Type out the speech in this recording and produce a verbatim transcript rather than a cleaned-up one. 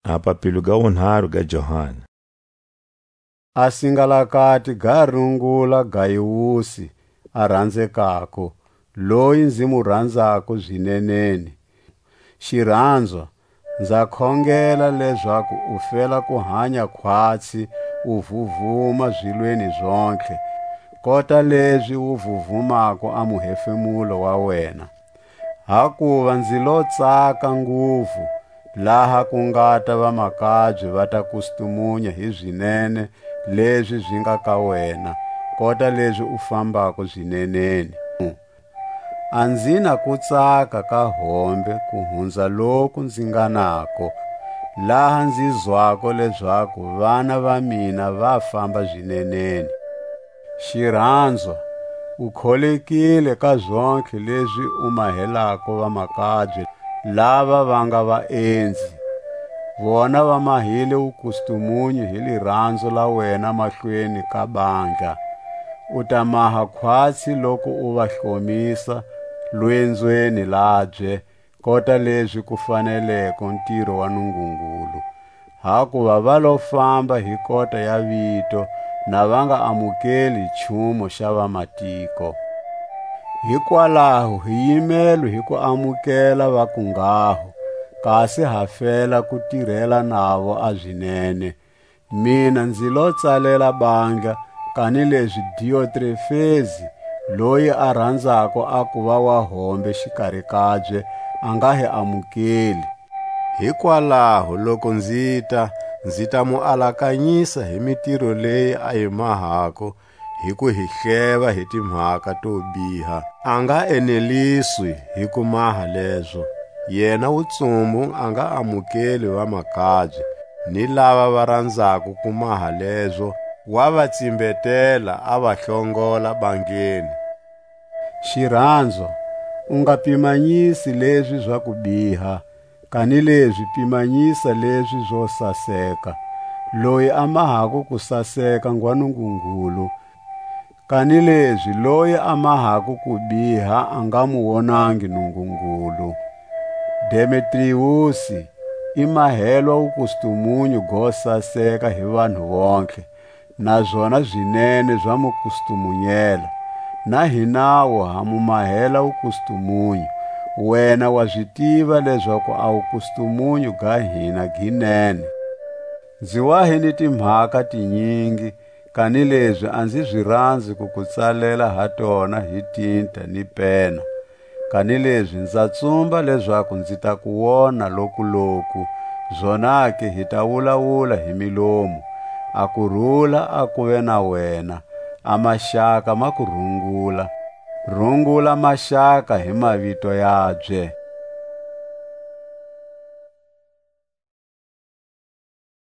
A papilo ga wunharu ga Johana. A singalakati ga rungula Gayusi, a ranzekako, loyi nzi mu ranzako zineneni. Xiranzwa, nza khongela lezaku u fela ku hanya khwatsi, u vuvuma zilweni zontlhe, kota lezi wu vuvumako a muhefemulo wa wena. Hakuva nzi lo tsaka nguvu, laha ku ngata vamakabye va ta kustumunya hi zinene lezi zi nga ka wena, kota lezi u fambako zineneni. A nzi na kutsaka ka hombe ku hunza loku nzi nga nako, laha nzi zwako lezaku vana va mina va famba zineneni. Xiranzwa, u kholekile ka zontlhe lezi u mahelako vamakabye lava va nga vaenzi. Vona va mahile wukustumunyu hi liranzo la wena mahlweni ka bandla. U ta maha khwatsi loku u va hlomisa lwenzweni labye, kota lezi ku faneleko ntiro wa Nungungulu. Hakuva va lo famba hi kota ya vito, na va nga amukeli nchumu xa vamatiko. Hikwalaho hi yimelwe hi ku amukela va ku nghaho, kasi ha fela ku tirela navo a zinene. Mina nzi lo tsalela bandla, kanilezi Diotrefezi, loyi a ranzako a kuva wa hombe xikari kabye, a nga hi amukeli. Hikwalaho loku nzita, nzi ta mu alakanyisa hi mitiro leyi a yi mahako, hi ku hi hleva hi timhaka to biha. A nga eneliswi hi ku maha lezo. Yena wutsumbu a nga amukeli vamakabye, ni lava va ranzako ku maha lezo, wa va tsimbetela, a va hlongola bangeni. Xiranzwa, u nga pimanyisi lezi za ku biha, kanilezi pimanyisa lezi zo saseka. Loyi a mahako ku saseka ngwa Nungungulu, kanilezi loyi a mahako ku biha a nga mu wonangi Nungungulu. Demetriusi i mahelwa wukustumunyu go saseka hi vanhu vontlhe, na zona zinene za mu kustumunyela. Na hinawu ha mu mahela wukustumunyu, wena wa zi tiva lezaku a wukustumunyu ga hina gi nene. Nzi wa hi ni timhaka tinyingi, kanilezi a nzi zi ranzi ku ku tsalela ha tona hi tinta ni pena. Kanilezi nza tsumba lezaku nzi ta ku wona lokuloku, zonake hi ta wulawula hi milomu. A kurula a kuve na wena, a maxaka ma ku rungula. Rungula maxaka hi mavito yabye.